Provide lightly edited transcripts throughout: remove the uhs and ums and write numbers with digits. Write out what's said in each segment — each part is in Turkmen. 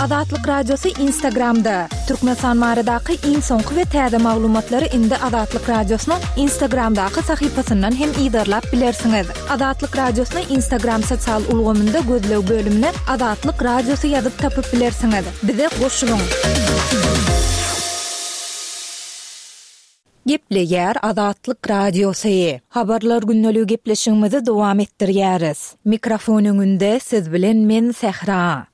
Azatlyk Radiosy Instagramda! Türkmenistan baradaky iň soňky we täze maglumatlary indi Azatlyk Radiosynyň Instagramdaky sahypasyndan hem yzarlap bilersiňiz. Azatlyk Radiosyny Instagram sosial ulgamynda gözleg bölümine Azatlyk Radiosy ýazyp tapyp bilersiňiz. Bize goşulyň! Gepleýär Azatlyk Radiosy. Habarlar gündeligi gepleşigimizi dowam etdirýäris. Mikrofon öňünde siz bilen men Sähra.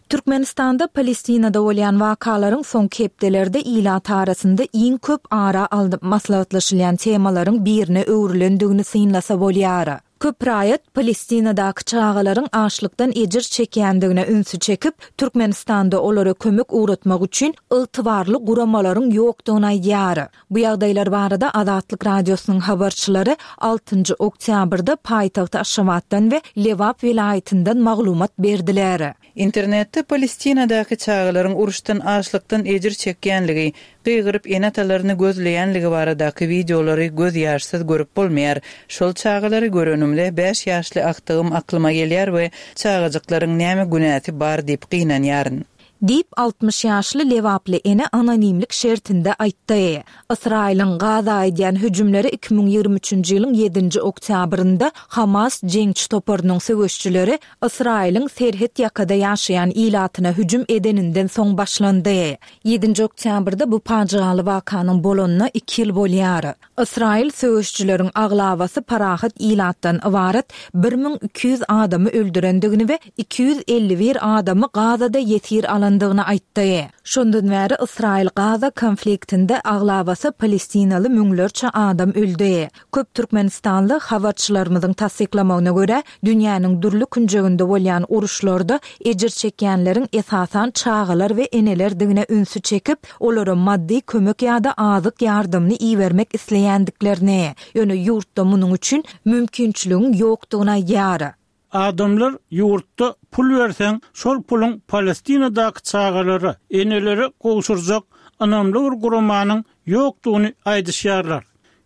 Türkmenistanda Palestinada bolýan wakalaryň soňky hepdelerde ilat arasynda iň köp ara alnyp maslahatlaşylýan temalaryň birine öwrülendigini synlasa bolýar. Köp raýat Palestinadaky çagalaryň açlykdan ejir çekýändigine ünsi çekip, Türkmenistanda olara kömek ugratmak üçin ygtybarly guramalaryň ýokdugyny aýdýar. Bu ýagdaýlar barada Azatlyk Radiosynyň habarçylary altynjy oktýabrda paýtagt Aşgabatdan we Lebap welaýatyndan maglumat berdiler. Internetde Palestinadaky çagalaryň uruşdan, açlykdan ejir çekýänligi, gygyryp ene-atalaryny gözleýänligi baradaky wideolary göz ýaşsyz görüp bolmaýar. Şol çagalary görenimde bäş ýaşly agtygym aklyma gelýär we çagajyklaryň näme günäsi bar diýip gynanýaryn. Diýip, 60 ýaşly lebaply ene anonimlik şertinde aýtdy. Ysraýylyň Gaza edýän hüjümleri 2023-nji ýylyň ýedinji oktýabrynda Hamas jeňçi toparynyň söweşçileri Ysraýylyň serhet ýakada ýaşaýan ilatyna hüjüm edeninden soň başlandy. Ýedinji oktýabrda bu pajygaly wakanyň bolanyna iki ýyl bolýar. Ysraýyl söweşijileriň aglabasy parahat ilatdan ybarat 1200 adamy öldürendigini we 251 adamy Gazada ýesir alandygyny aýtdy. Şondan bäri Ysraýyl-Gaza konfliktinde aglabasy palestinaly müňlerçe adam öldi. Köp türkmenistanly habarçylarymyzyň tassyklamagyna görä, dünýäniň dürli künjeginde bolýan uruşlarda ejir çekýänleriň esasan çagalar we enelerdigine ünsi çekip, olara maddy kömek ýa-da azyk ýardamyny ibermek isleýändiklerini, ýöne ýurtda munuň üçin mümkinçiligiň ýokdugyny aýdýar. Adamlar ýurtda pul berseň, şol puluň Palestinadaky çagalara, enelere gowşurjak ynamly bir guramanyň ýokdugyny aýdyşýarlar.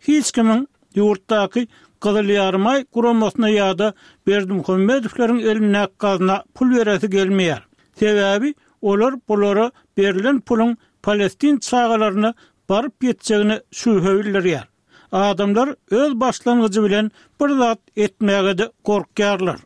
Hiç kimiň ýurtdaky Gyzyl Ýarymaý guramasyna ýa-da Berdimuhamedowlaryň elindäki gazna pul beresi gelmeýär. Sebäbi olar bulara berlen puluň palestin çagalaryna baryp ýetjegine şübhe bildirýär. Adamlar öz başlangyjy bilen bir zat etmäge-de gorkýarlar.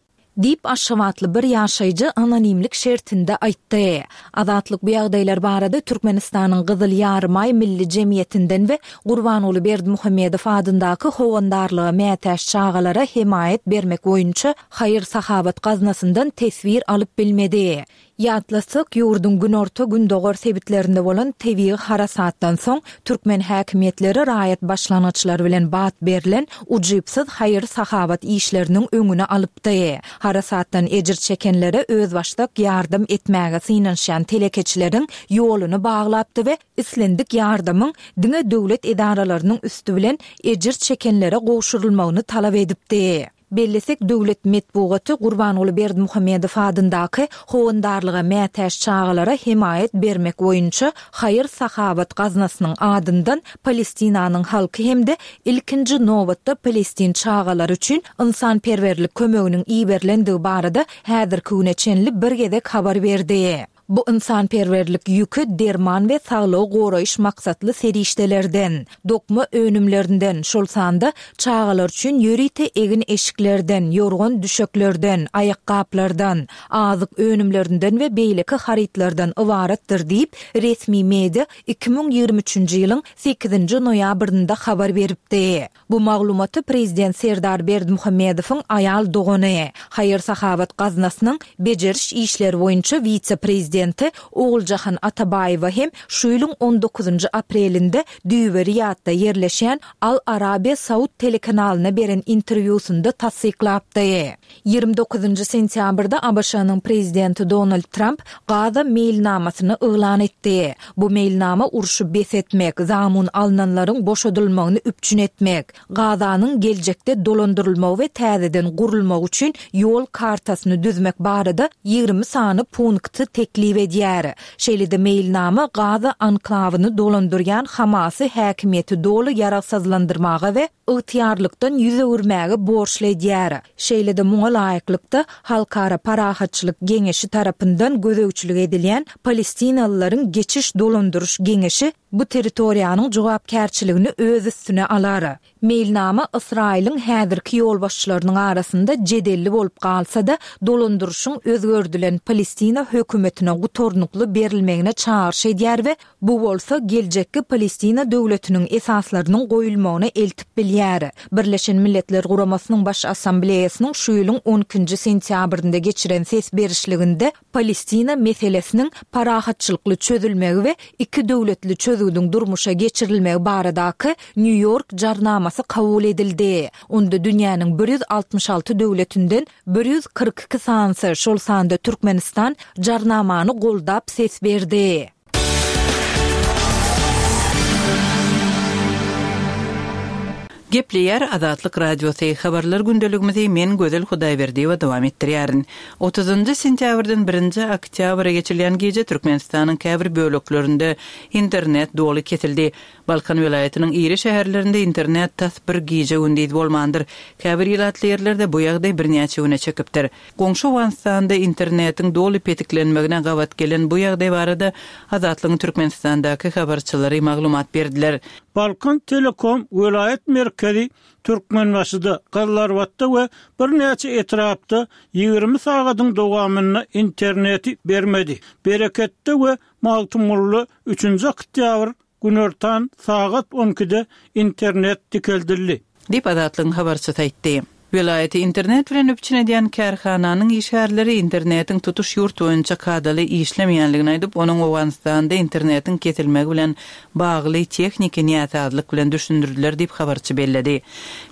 Diýip, aşgabatly bir ýaşaýjy anonimlik şertinde aýtdy. Azatlyk bu ýagdaýlar barada Türkmenistanyň Gyzyl Ýarymaý Milli jemgyýetinden we Gurbanguly Berdimuhamedow adyndaky Howandarlyga mätäç çagalara hemaýat bermek boýunça haýyr-sahawat gaznasyndan teswir alyp bilmedi. Ýatlatsak, ýurduň günorta-gündogar sebitlerinde bolan tebigy harasatdan soň, türkmen häkimiýetleri raýat başlangyçlary bilen bat berlen ujypsyz haýyr-sahawat işleriniň öňüni alypdy. Harasatdan ejir çekenlere özbaşdak ýardam etmäge synanyşýan telekeçileriň ýoluny baglapdy we islendik ýardamyň diňe döwlet edaralarynyň üsti bilen ejir çekenlere gowşurylmagyny talap edipdi. Bellesek, döwlet metbugaty Gurbanguly Berdimuhamedow adyndaky Howandarlyga mätäç çagalara hemaýat bermek boýunça haýyr-sahawat gaznasynyň adyndan Palestinanyň halky hem-de ilkinji nobatda palestin çagalary üçin ynsanperwerlik kömeginiň iberilendigi barada häzirki güne çenli bir gezek habar berdi. Bu ynsanperwerlik ýüki derman we saglygy goraýyş maksatly serişdelerden, dokma önümlerinden, şol sanda çagalar üçin ýörite egin-eşiklerden, ýorgan-düşeklerden, aýakgaplardan, azyk önümlerinden we beýleki harytlardan ybaratdyr diýip, resmi media 2023-nji ýylyň sekizinji noýabrynda habar beripdi. Bu maglumaty prezident Serdar Berdimuhamedowyň aýal dogany, Haýyr-sahawat gaznasynyň bejeriş işleri boýunça wise-prezidenti Oguljahan Atabaýewa hem şu ýylyň on dokuzynjy aprelinde düýbi Riýadda ýerleşýän Al Arabiya saud telekanalyna beren interwýusynda tassyklapdy. 29-njy sentýabrda ABŞ-nyň prezidenti Donald Tramp Gaza meýilnamasyny yglan etdi. Bu meýilnama urşy bes etmek, zamun alnanlaryň boşadylmagyny üpjün etmek, Gazanyň geljekde dolandyrylmagy we täzeden gurulmagy üçin ýol kartasyny düzmek barada 20 sany punkty teklip. teklip edýär. Şeýle-de meýilnama Gaza anklawyny dolandyrýan Hamasy häkimiýeti doly ýaragsyzlandyrmaga we ygtyýarlykdan ýüz öwürmäge borçly edýär. Şeýle-de muňa laýyklykda, Halkara parahatçylyk geňeşi tarapyndan gözegçilik edilýän Palestinalylaryň geçiş dolandyryş geňeşi bu territoriýanyň jogapkärçiligini öz üstüne alar. Meýilnama Ysraýylyň häzirki ýolbaşçylarynyň arasynda jedelli bolup galsa-da, dolandyryşyň özgerdilen Palestina hökümetine gutarnykly berilmegine çagyryş edýär we bu bolsa geljekki Palestina döwletiniň esaslarynyň goýulmagyna eltip bilýär. Birleşen Milletler Guramasynyň Baş Assambleýasynyň şu ýylyň on ikinji sentýabrynda geçiren ses berişliginde Palestina meselesiniň parahatçylykly çözülmegi we iki döwletli çözgüdiň durmuşa geçirilmegi baradaky Nýu-Ýork Jarnamasy kabul edildi. Onda dünýäniň 166 döwletinden 142 sanysy, şol sanda Türkmenistan Jarnamany goldap ses berdi. Gepleýär Azatlyk Radiosy, Habarlar gündeligimizi men Gözel Hudaýberdiýewa dowam etdirýärin. Otuzynjy sentýabrdan birinji oktýabra geçilýän gije Türkmenistanyň käbir böleklerinde internet doly kesildi. Balkan welaýatynyň iri şäherlerinde internet tas bir gije-gündiz bolmandyr. Käbir ilatly ýerlerde bu ýagdaý birnäçe güne çekipdir. Goňşy Owganystanda internetiň doly petiklenmegine gabat gelen bu ýagdaý barada Azatlygyň Türkmenistandaky habarçylary maglumat berdiler. Balkan Telekom welaýat merkezi Türkmenbaşyda, Gyzylarbatda we birnäçe etrapda 20 sagadyň dowamynda interneti bermedi. Bereketde we Magtymgulyda üçünji oktýabr Günortan sagat on ikide internet dikeldildi. Diýip, Azatlygyň habarçysy aýtdy. Welaýaty internet bilen üpjün edýän kärhananyň işgärleri internetiň tutuş ýurt boýunça kadaly işlemeýänligini aýdyp, onuň Owganystanda internetiň kesilmegi bilen bagly tehniki näsazlyk bilen düşündirdiler diýip, habarçy belledi.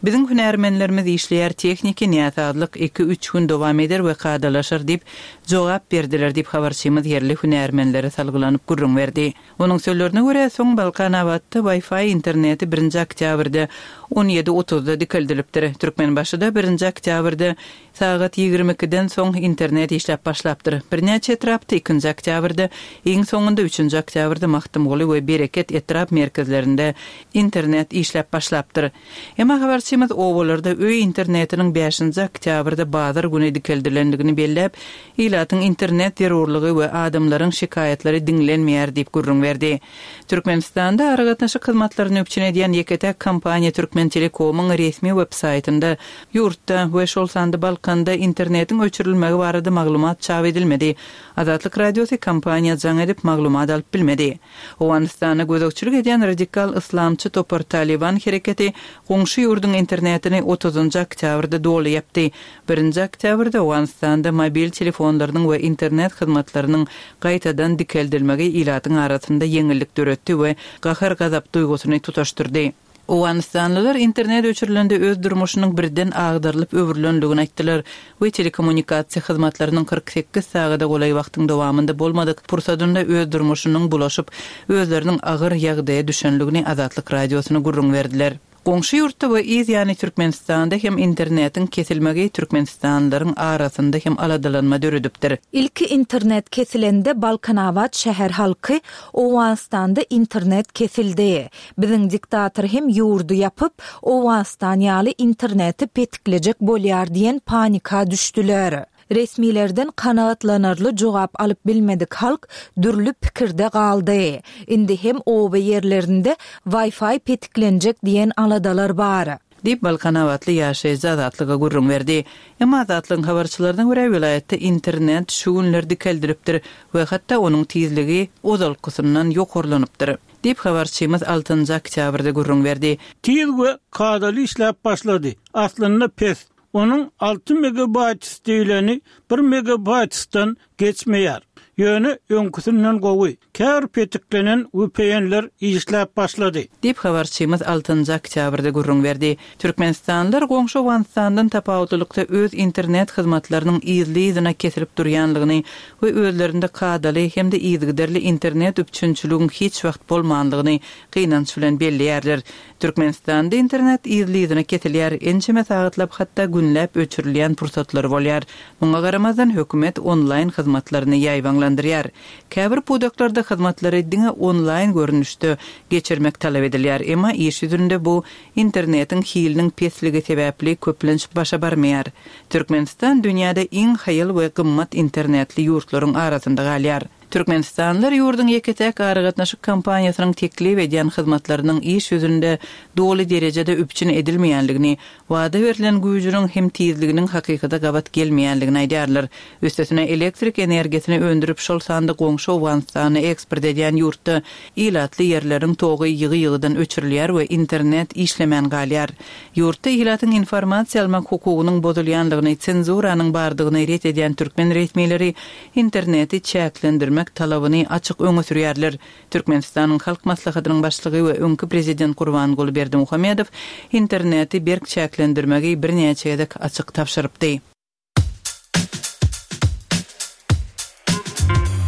Biziň hünärmenlerimiz işleýär, tehniki näsazlyk iki-üç gün dowam eder we kadalaşar diýip, jogap berdiler diýip, habarçymyz ýerli hünärmenlere salgylanyp gürrüň berdi. Onuň sözlerine görä, soň Balkanabatda Wi-Fi interneti birinji oktýabrda on ýedi otuzda dikeldilipdir. Türkmenbaşyda birinji oktýabrda sagat ýigrimi ikiden soň internet işläp başlapdyr. Birnäçe etrapda ikinji oktýabrda, iň soňunda üçünji oktýabrda Magtymguly we Bereket etrap merkezlerinde internet işläp başlapdyr. Emma habarçymyz obalarda öý internetiniň bäşinji oktýabrda bazar güni dikeldilendigini belläp, ilatyň internet zerurlygy we adamlaryň şikaýatlary diňlenmeýär diýip gürrüň berdi. Türkmenistanda aragatnaşyk hyzmatlaryny üpjün edýän ýeke-täk kompaniýa Türkmentelekomyň resmi web-saýtynda ýurtda we şol sanda Balkanda internetiň öçürilmegi barada maglumat çap edilmedi. Azatlyk Radiosy kompaniýa jaň edip maglumat alyp bilmedi. Owganystana gözegçilik edýän radikal yslamçy topar Talyban hereketi goňşy ýurduň internetini otuzynjy oktýabrda doly ýapdy. Birinji oktýabrda Owganystanda mobil telefonlarynyň we internet hyzmatlarynyň gaýtadan dikeldilmegi ilatyň arasynda ýeňillik döretdi we gahar-gazap duýgusyny tutaşdyrdy. Owganystanlylar internet öçürilende öz durmuşynyň birden agdarylyp öwrülendigini aýtdylar we telekommunikasiýa hyzmatlarynyň 48 sagada golaý wagtyň dowamynda bolmadyk pursadynda öz durmuşynyň bulaşyp, özleriniň agyr ýagdaýa düşenligini Azatlyk Radiosyna gürrüň berdiler. Goňşy ýurtda we yz ýany Türkmenistanda hem internetiň kesilmegi türkmenistanlylaryň arasynda hem aladalanma döredipdir. Ilki internet kesilende Balkanabat şäher halky Owganystanda internet kesildi. Biziň diktator hem ýurdy ýapyp, Owganystan ýaly interneti petiklejek bolýar diýen panika düşdüler. Resmilerden kanagatlanarly jogap alyp bilmedik halk dürli pikirde galdy. Indi hem oba ýerlerinde Wi-Fi petiklenjek diýen aladalar bar. Diýip, balkanabatly ýaşaýjy Azatlyga gürrüň berdi. Emma Azatlygyň habarçylaryna görä, welaýatda internet şu günler dikeldilipdir we hatda onuň tizligi ozalkysyndan ýokarlanypdyr. Diýip, habarçymyz altynjy oktýabrda gürrüň berdi. Tiz we kadaly işläp başlady. Aslynda pes. Onuň alty megabaýts diýleni bir megabaýtsdan geçmeýär. Ýöne öňküsinden gowy. Käbir petiklenen VPN-ler işläp başlady. Diýip, habarçymyz altynjy oktýabrda gürrüň berdi. Türkmenistanlylar goňşy Owganystandan tapawutlylykda öz internet hyzmatlarynyň yzly-yzyna kesilip durýanlygyny we özlerinde kadaly hem-de yzygiderli internet üpjünçiligiň hiç wagt bolmanlygyny gynanç bilen belleýärler. Türkmenistanda internet yzly-yzyna kesilýär, ençeme sagatlap hatda günläp öçürilýän pursatlary bolýar. Muňa garamazdan, hökümet onlaýn hyzmatlaryny ýaýbaňlandyrýar. Käbir pudaklarda hyzmatlary diňe onlaýn görnüşde geçirmek talap edilýär, emma iş ýüzünde bu internetiň hiliniň pesligi sebäpli köplenç başa barmaýar. Türkmenistan dünýäde iň haýal we gymmat internetli ýurtlaryň arasynda galýar. Türkmenistanlylar ýurduň ýeke-täk aragatnaşyk kompaniýasynyň teklip edýän hyzmatlarynyň iş ýüzünde doly derejede üpjün edilmeýänligini, wada berlen güýjüniň hem tizliginiň hakykata gabat gelmeýänligini aýdýarlar. Üstesine, elektrik energiýasyny öndürip, şol sanda goňşy Owganystana eksport edýän ýurtda ilatly ýerleriň togy ýygy-ýygydan öçürilýär we internet işlemän galýar. Ýurtda ilatyň informasiýa almak hukugynyň bozulýanlygyny, senzuranyň bardygyny ret edýän türkmen resmileri interneti çäklendirmek talabyny açyk öňe sürýärler. Türkmenistanyň Halk Maslahatynyň Başlygy we öňki prezident Gurbanguly Berdimuhamedow interneti berk çäklendirmegi birnäçe gezek açyk tabşyrypdy.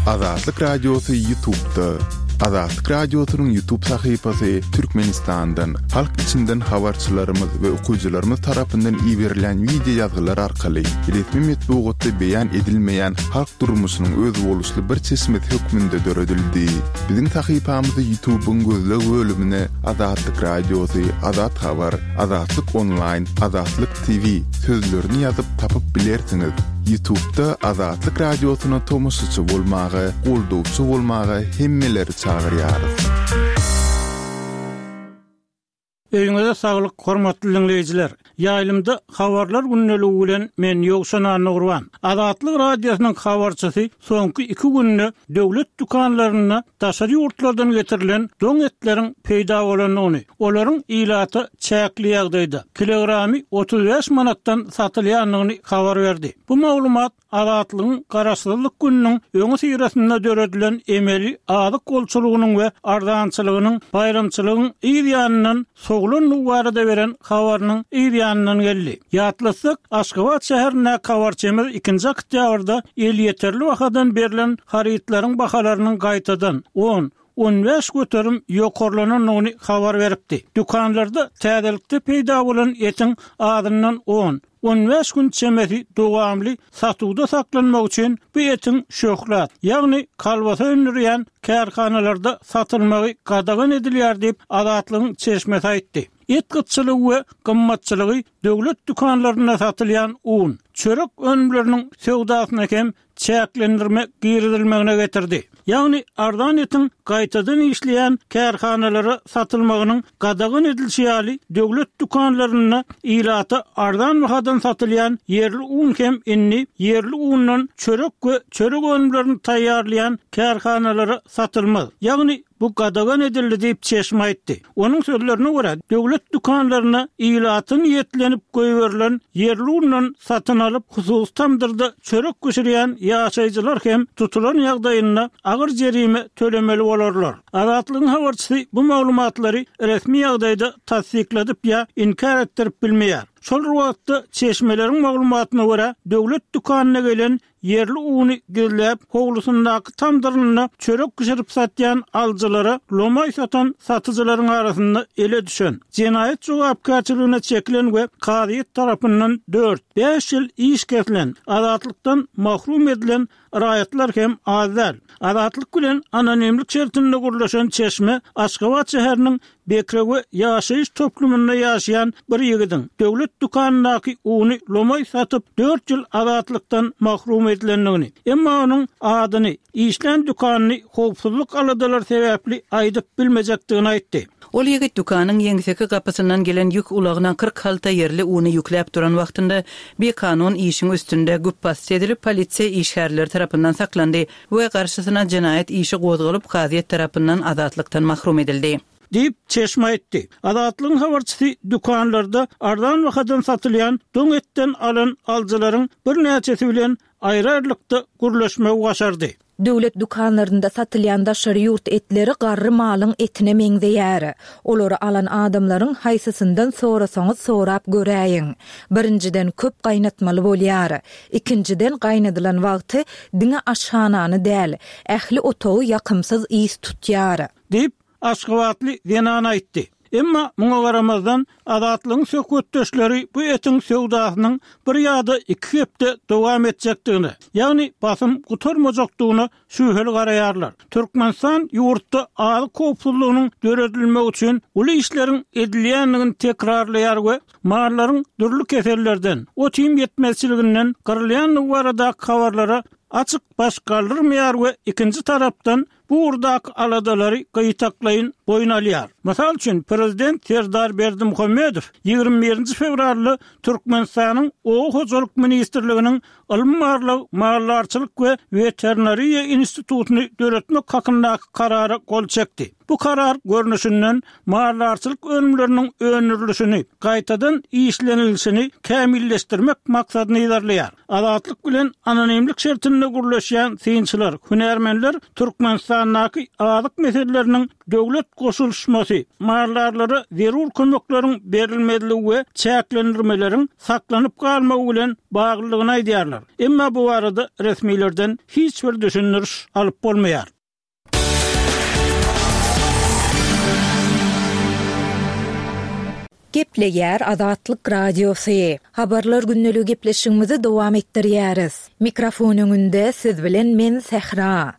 Azatlyk Radiosy Ýutubda. Azatlyk Radiosynyň Ýutub sahypasy Türkmenistandan, halk içinden habarçylarymyz we okyjylarymyz tarapyndan iberilýän wideo ýazgylar arkaly resmi metbugatda beýan edilmeýän halk durmuşynyň özboluşly bir çeşmesi hökmünde döredildi. Biziň sahypamyzy Ýutubyň gözleg bölümine Azatlyk Radiosy, Azat Habar, Azatlyk Onlaýn, Azatlyk TV sözlerini ýazyp tapyp bilersiňiz. Ýutubda Azatlyk Radiosyna tomaşaçy bolmaga, goldawçy bolmaga hemmeleri çagyrýarys. Öýüňize saglyk hormatly diňleýjiler! Ýaýlymda Habarlar gündeligi bilen men Ýowşan Annagurban. Azatlyk Radiosynyň habarçysy soňky iki günde döwlet dükanlarynda daşary ýurtlardan getirilen doň etleriň peýda bolandygyny, olaryň ilata çäkli ýagdaýda, kilogramy 35 manatdan satylýandygyny habar berdi. Bu maglumat Azatlygyň Garaşsyzlyk gününiň öňüsyrasynda döredilen emeli azyk bolçulygynyň we arzançylygynyň baýramçylygyň yz ýanyndan sowlandygy barada beren habarynyň yz ýanyndan geldi. Ýatlatsak, Aşgabat şäherindäki habarçymyz ikinji oktýabrda elýeterli bahadan berlen harytlaryň bahalarynyň gaýtadan on, 15% ýokarlanandygyny habar beripdi. Dükanlarda täzelikde peýda bolan etiň azyndan on, 15 gün çemesi dowamly satuwda saklanmagy üçin bu etiň şöhlat, ýagny kolbasa öndürýän kärhanalarda satylmagy gadagan edilýär diýip, Azatlygyň çeşmesi aýtdy. Et gytçylygy we gymmatçylygy döwlet dükanlarynda satylýan un, çörek önümleriniň söwdasyna hem çäklendirme girizilmegine getirdi. Ýagny arzan etiň gaýtadan işleýän kärhanalara satylmagynyň gadagan edilişi ýaly, döwlet dükanlarynda ilata arzan bahadan satylýan ýerli un hem indi ýerli undan çörek we çörek önümlerini taýýarlaýan kärhanalara satylmaz. Ýagny Bu gadagan edildi diýip, çeşme aýtdy. Onuň sözlerine görä, döwlet dükanlaryna ilata niýetlenip goýberilen ýerli undan satyn alyp, hususy tamdyrda çörek bişirýän ýaşaýjylar hem tutulan ýagdaýynda agyr jerime tölemeli bolarlar. Azatlygyň habarçysy bu maglumatlary resmi ýagdaýda tassykladyp ýa inkär etdirip bilmeýär. Şol bir wagtda, çeşmeleriň maglumatyna görä, döwlet dükanyna gelen Ýerli uny gizläp, howlusyndaky tamdyrynda çörek bişirip satýan alyjylara lomaý satan satyjylaryň arasynda ele düşen, jenaýat jogapkärçiligine çekilen we kazyýet tarapyndan dört, bäş ýyl iş kesilen, azatlykdan mahrum edilen raýatlar hem az däl. Azatlyk bilen anonimlik şertinde gürleşen çeşme Aşgabat şäheriniň Bekrewe ýaşaýyş toplumynda ýaşaýan bir ýigidiň döwlet dükanyndaky uny lomaý satyp, dört ýyl azatlykdan mahrum edilendigini, emma onuň adyny, işlän dükanyny howpsuzlyk aladalary sebäpli aýdyp bilmejekdigini aýtdy. Ol ýigit dükanyň ýeňseki gapysyndan gelen ýük ulagyna 40 halta ýerli uny ýükläp duran wagtynda bikanun işiň üstünde güpbasdy edilip, polisiýa işgärleri tarapyndan saklandy. we garşysyna jenaýat işi gozgalyp, kazyýet tarapyndan azatlykdan mahrum edildi. Diýip, çeşme aýtdy. Azatlygyň habarçysy dükanlarda arzan bahadan satylýan doň etden alan alyjylaryň birnäçesi bilen aýry-aýrylykda gürleşmegi başardy. Döwlet dükanlarynda satylýan daşary ýurt etleri garry malyň etine meňzeýär. Olary alan adamlaryň haýsysyndan sorasaňyz sorap göräýiň. Birinjiden köp gaýnatmaly bolýar. Ikinjiden gaýnadylan wagty diňe aşhanany däl, ähli otagy ýakymsyz ys tutýar. Diýip, aşgabatly zenan aýtdy. Emma muňa garamazdan, Azatlygyň söhbetdeşleri bu etiň söwdasynyň bir ýa-da iki hepde dowam etjekdigine, ýagny basym gutarmajakdygyna şübheli garaýarlar. Türkmenistan ýurtda azyk howpsuzlygynyň döredilmegi üçin uly işleriň edilýändigini tekrarlaýar we mallaryň dürli kesellerden, ot-iým ýetmezçiliginden gyrylýandygy baradaky habarlara açyk baş galdyrmaýar we ikinji tarapdan, bu ugurdaky aladalary gytaklaýyn boýun alýar. Mysal üçin, prezident Serdar Berdimuhamedow 21 nji fewralda Türkmenistanyň Oba hojalyk ministrliginiň Ylmy-barlag, maldarçylyk we weterinariýa institutyny döretmek hakyndaky Karara gol çekdi. Bu karar, görnüşinden, maldarçylyk önümleriniň öndürilişini, gaýtadan işlenilişini kämilleşdirmek maksadyny yzarlaýar. Azatlyk bilen anonimlik şertinde gürleşýän synçylar, hünärmenler Türkmenistandaky azyk meseleleriniň döwlet goşulyşmasy, maldarlara zerur kömekleriň berilmezligi we çäklendirmeleriň saklanyp galmagy bilen baglydygyny aýdýarlar. Emma bu barada resmilerden hiç bir düşündiriş alyp bolmaýar. Gepleýär Azatlyk Radiosy. Habarlar gündeligi gepleşigimizi dowam etdirýäris. Mikrofon öňünde siz bilen men Sähra.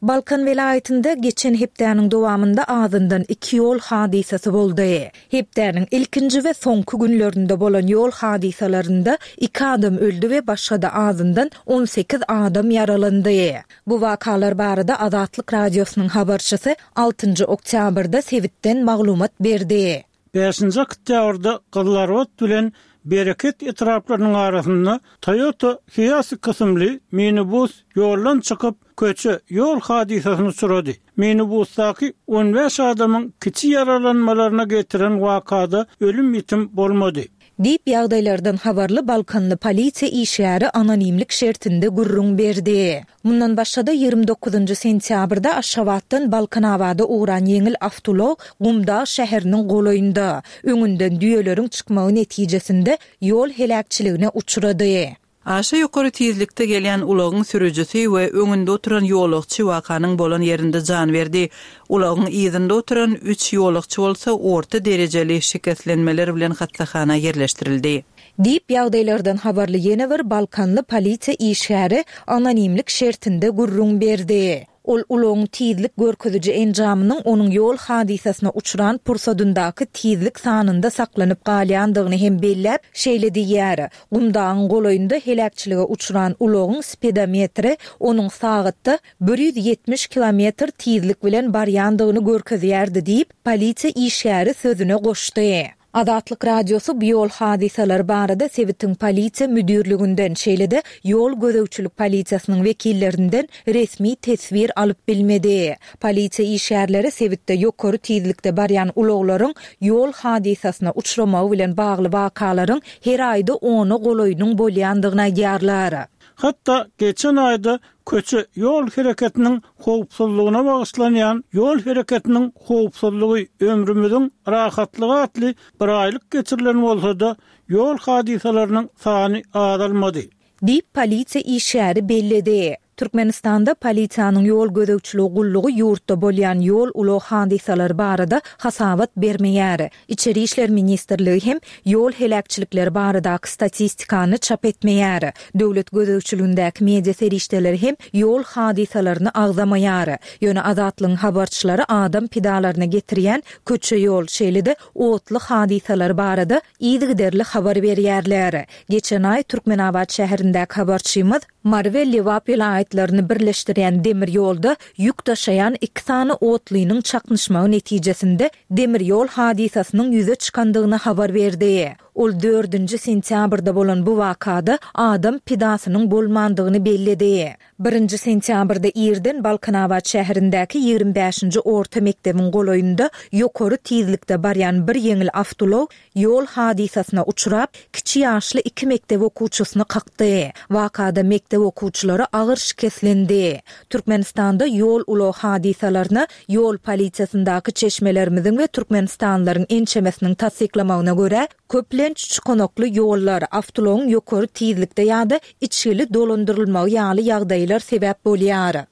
Balkan welaýatynda geçen hepdäniň dowamynda azyndan iki ýol hadysasy boldy. Hepdäniň ilkinji we soňky günlerinde bolan ýol hadysalarynda iki adam öldi we başga-da azyndan 18 adam ýaralandy. Bu wakalar barada Azatlyk Radiosynyň habarçysy altynjy oktýabrda sebitden maglumat berdi. Bäşinji oktýabrda Gyzylarbat bilen Bereket etraplarynyň arasynda Toyota Hiace kysymly minibus ýoldan çykyp, köçe, ýol hadysasyna uçrady. Minibusdaky on bäş adamyň kiçi ýaralanmalaryna getiren wakada ölüm-ýitim bolmady. Diýip, ýagdaýlardan habarly balkanly polisiýa işgäri anonimlik şertinde gürrüň berdi. Mundan başga-da, 29 sentýabrda Aşgabatdan Balkanabada ugran ýeňil awtoulag Gumdag şäheriniň golaýynda, öňünden düýeleriň çykmagy netijesinde ýol heläkçiligine uçrady. Aşa ýokary tizlikde gelýän ulagyň sürüjisi we öňünde oturan ýolagçy wakanyň bolan ýerinde jan berdi. Ulagyň yzynda oturan üç ýolagçy bolsa orta derejeli şikeslenmeler bilen hassahana ýerleşdirildi. Diýip, ýagdaýlardan habarly ýene bir balkanly polisiýa işgäri anonimlik şertinde gürrüň berdi. Ol ulagyň tizlik görkeziji enjamynyň onuň ýol hadysasyna uçran pursadyndaky tizlik sanynda saklanyp galýandygyny hem belläp, şeýle diýýär, Gumdagyň golaýynda heläkçilige uçran ulagyň spedometri onuň sagatda 170 kilometr tizlik bilen barýandygyny görkezýärdi diýip, polisiýa işgäri sözüne goşdy. Azatlyk Radiosy bu ýol hadysalary barada sebitiň polisiýa müdirliginden, şeýle-de ýol gözegçilik polisiýasynyň wekillerinden resmi teswir alyp bilmedi. Polisiýa işgärleri sebitde ýokary tizlikde barýan ulaglaryň ýol hadysasyna uçramagy bilen bagly wakalaryň her aýda ona golaýynyň bolýandygyny aýdýarlar. Hatda geçen aýda köçe ýol hereketiniň howpsuzlygyna bagyşlanýan Ýol hereketiniň howpsuzlygy, ömrümiziň rahatlygy atly biraýlyk geçirilen bolsa-da, ýol hadysalarynyň sany azalmady. Diýip, polisiýa işgäri belledi. Türkmenistanda polisiýanyň ýol gözegçiligi gullugy ýurtda bolýan ýol-ulag hadysalary barada hasabat bermeýär. Içeri işler ministrligi hem ýol heläkçilikleri baradaky statistikany çap etmeýär. Döwlet gözegçiligindäki media serişdeleri hem ýol hadysalaryny agzamaýar. Ýöne Azatlygyň habarçylary adam pidalaryna getirýän köçe-ýol, şeýle-de otly hadysalary barada yzygiderli habar berýärler. Geçen aý Türkmenabat şäherindäki habarçymyz Mary we Lebap welaýatlaryny birleşdirýän demir ýolda ýük daşaýan iki sany otlynyň çaknyşmagy netijesinde demir ýol hadysasynyň ýüze çykandygyny habar berdi. Ol dördünji sentýabrda bolan bu wakada adam pidasynyň bolmandygyny belledi. Birinji sentýabrda irden Balkanabat şäherindäki 25-nji orta mekdebiň golaýynda ýokary tizlikde barýan bir ýeňil awtoulag ýol hadysasyna uçrap, kiçi ýaşly iki mekdep okuwçysyny kakdy. Wakada mekdep okuwçylary agyr şikeslendi. Türkmenistanda ýol-ulag hadysalaryna ýol polisiýasyndaky çeşmelerimiziň we türkmenistanlylaryň ençemesiniň tassyklamagyna görä, köplenç çukanakly ýollar, awtoulagyň ýokary tizlikde ýa-da içgili dolandyrylmagy ýaly ýagdaýlar sebäp bolýar.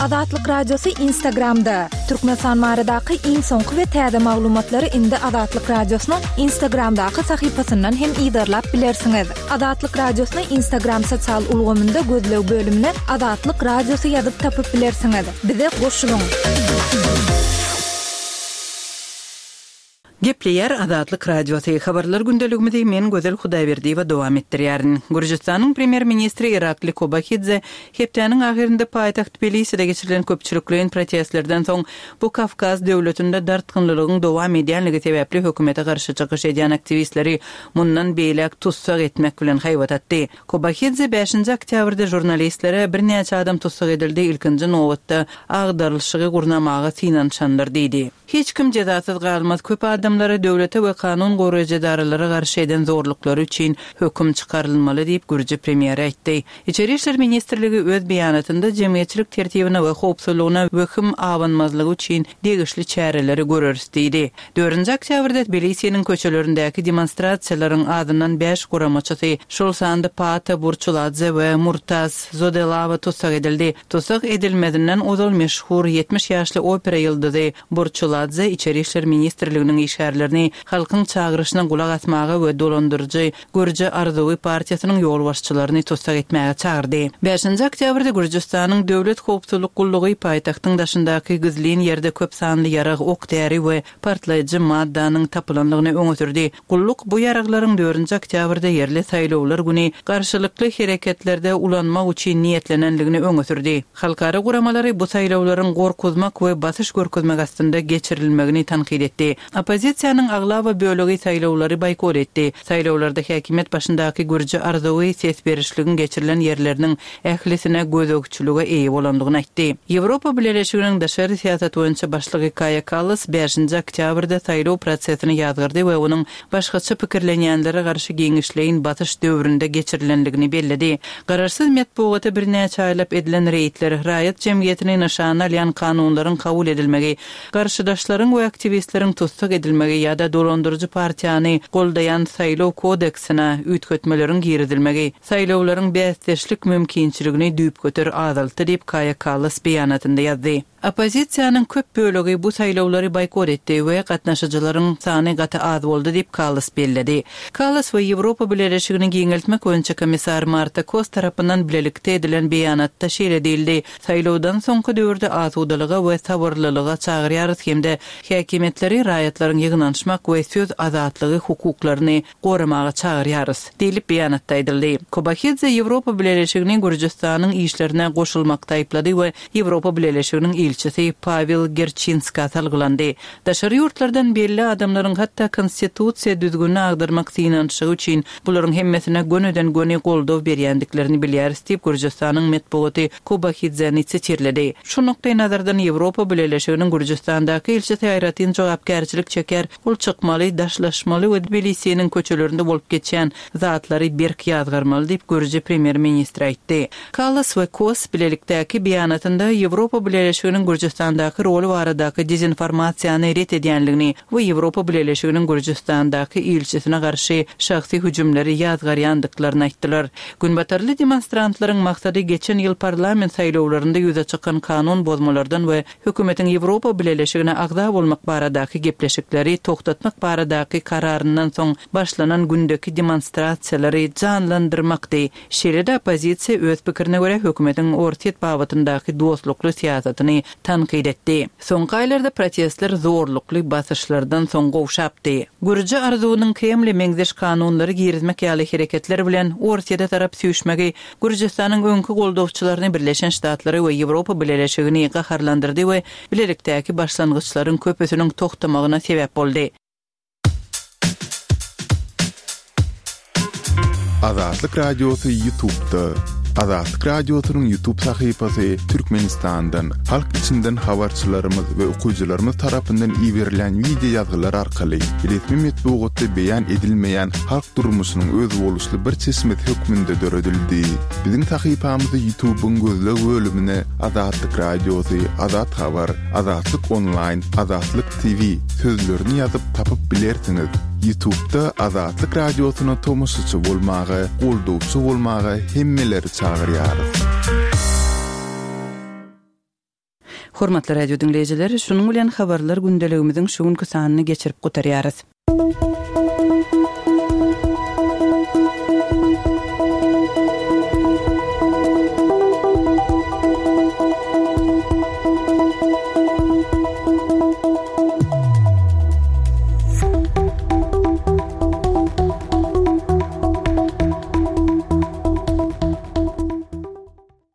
Azatlyk Radiosy Instagramda, Türkmenistan baradaky iň soňky we täze maglumatlary indi Azatlyk Radiosynyň Instagramdaky sahypasyndan hem yzarlap bilersiňiz. Azatlyk Radiosyny Instagram sosial ulgamynda gözleg bölümine Azatlyk Radiosy ýazyp tapyp bilersiňiz. Bize goşulyň! Gepleýär Azatlyk Radiosy, Habarlar gündeligimizi men Gözel Hudaýberdiýewa dowam etdirýärin. Gürjüstanyň premýer-ministri Irakli Kobahidze hepdäniň ahyrynda paýtagt Tbiliside geçirilen köpçülikleýin protestlerden soň bu Kawkaz döwletinde dartgynlylygyň dowam edýänligi sebäpli hökümete garşy çykyş edýän aktiwistleri mundan beýläk tussag etmek bilen haýbat atdy. Kobahidze bäşinji oktýabrda žurnalistlere birnäçe adam tussag edildi, ilkinji nobatda agdarylyşygy gurnamaga synanyşanlar diýdi. Hiç kim jezasyz galmaz, köp adamlara döwlete we kanun goraýjy edaralara garşy eden zorluklary üçin höküm çykarylmaly diýip, gürji premýeri aýtdy. Içeri işler ministrligi öz beýanatynda jemgyýetçilik tertibine we howpsuzlygyna wehim abanmazlygy üçin degişli çäreleri göreris diýdi. Dördünji oktýabrda Tbilisiniň köçelerindäki demonstrasiýalaryň azyndan bäş guramaçysy, şol sanda Paata Burçuladze we Murtaz Zodelawa tussag edildi. Tussag edilmezinden ozal meşhur 70 ýaşly opera ýyldyzy Burçuladze Içeri işler ministrliginiň işgärlerini halkyň çagyryşyna gulak asmaga we dolandyryjy Gürji arzuwy partiýasynyň ýolbaşçylaryny tussag etmäge çagyrdy. Bäşinji oktýabrda Gürjüstanyň Döwlet howpsuzlyk gullugy paýtagtyň daşyndaky gizlin ýerde köp sanly ýarag, ok-däri we partlaýjy maddanyň tapylandygyny öňe sürdi. Gulluk bu ýaraglaryň dördünji oktýabrda ýerli saýlawlar güni garşylykly hereketlerde ulanmak üçin niýetlenendigini öňe sürdi. Halkara guramalary bu saýlawlaryň gorkuzmak we basyş görkezmek astynda geçirilmegini tankyt etdi. Oppozisiýanyň aglaba bölegi saýlawlary boýkot etdi. Saýlawlarda häkimiýet başyndaky Gürji arzuwy ses berişligiň geçirilen ýerleriniň ählisine gözegçilige eýe bolandygyny aýtdy. Ýewropa Bileleşiginiň daşary syýasat boýunça başlygy Kaýa Kallas bäşinji oktýabrda saýlaw prosesini ýazgardy we onuň başgaça pikirlenýänlere garşy giňişleýin basyş döwründe geçirilendigini belledi. Garaşsyz metbugata birnäçe aýlap edilen reýdler, raýat jemgyýetini nyşana alýan kanunlaryň kabul edilmegi, Garşydaşlaryň we aktiwistleriň tussag edilmegi ýa-da dolandyryjy partiýany goldaýan saýlaw kodeksine üýtgetmeleriň girizilmegi saýlawlaryň bäsdeşlik mümkinçiligini düýpgöter azaltdy diýip, Kaýa Kallas beýanatynda ýazdy. Oppozisiýanyň köp bölegi bu saýlawlary boýkot etdi we gatnaşyjylaryň sany gaty az boldy diýip, Kallas belledi. Kallas we Ýewropa Bileleşigini giňeltmek boýunça komissar Marta Kos tarapyndan bilelikde edilen beýanatda şeýle diýildi, Saýlawdan soňky döwürde asudalyga we sabyrlylyga çagyrýarys hem-de häkimiýetleri raýatlaryň ýygnanyşmak we söz azatlygy hukuklaryny goramaga çagyrýarys, diýlip beýanatda aýdyldy. Kobahidze Ýewropa Bileleşigini Gürjüstanyň işlerine goşulmakda aýyplady we Ýewropa Bileleşiginiň ilçisi Pawel Gerçinskä salgylandy. Daşary ýurtlardan belli adamlaryň hatda konstitusiýa düzgünini agdarmak synanyşygy üçin bularyň hemmesine gönüden-göni goldaw berýändiklerini bilýäris diýip, Gürjüstanyň metbugaty Kobahidzeni sitirledi. Şu nukdaýnazardan Ýewropa Bileleşiginiň Gürjüstandaky ilçisi aýratyn jogapkärçilik çeker, ol çykmaly, daşlaşmaly we Tbilisiniň köçelerinde bolup geçýän zatlary berk ýazgarmaly diýip, gürji premýer-ministri aýtdy. Kallas we Kos bilelikdäki beýanatynda Ýewropa Bileleşiginiň Gürjüstandaky roly baradaky dezinformasiýany ret edýänligini we Ýewropa Bileleşiginiň Gürjüstandaky ilçisine garşy şahsy hüjümleri ýazgarýandyklaryny aýtdylar. Günbatarly demonstrantlaryň maksady geçen ýyl parlament saýlawlarynda ýüze çykan kanun bozmalardan we Hökümetiň Ýewropa Bileleşigine agza bolmak baradaky gepleşikleri togtatmak baradaky kararyndan soň başlanan gündeki demonstrasiýalary janlandyrmakdy. Şeýle-de oppozisiýa öz pikirine görä hökümetiň Orsýet babatyndaky dostlukly syýasatyny tankyt etdi. Soňky aýlarda protestler zorlukly basyşlardan soň gowşapdy. Gürji arzuwynyň Kremle meňzeş kanunlary girizmek ýaly hereketler bilen Orsýete tarap süýşmegi Gürjüstanyň öňki goldawçylaryny Birleşen Ştatlary we Ýewropa Bileleşigini gaharlandyrdy we bilelikdäki başlangyçlaryň köpüsiniň togtamagyna sebäp boldy. Azatlyk Radiosy Ýutubda. Azatlyk Radiosynyň Ýutub sahypasy Türkmenistandan, halk içinden habarçylarymyz we okyjylarymyz tarapyndan iberilýän wideo ýazgylar arkaly resmi metbugatda beýan edilmeýän halk durmuşynyň özboluşly bir çeşmesi hökmünde döredildi. Biziň sahypamyzy Ýutubyň gözleg bölümine Azatlyk Radiosy, Azat Habar, Azatlyk Onlaýn, Azatlyk TV sözlerini ýazyp tapyp bilersiňiz. Ýutubda Azatlyk Radiosyna tomaşaçy bolmaga, goldawçy bolmaga hemmeleri çagyrýarys. Hormatly radio diňleýjiler, şunuň bilen habarlar gündeligimiziň şu günki sanyny geçirip gutarýarys.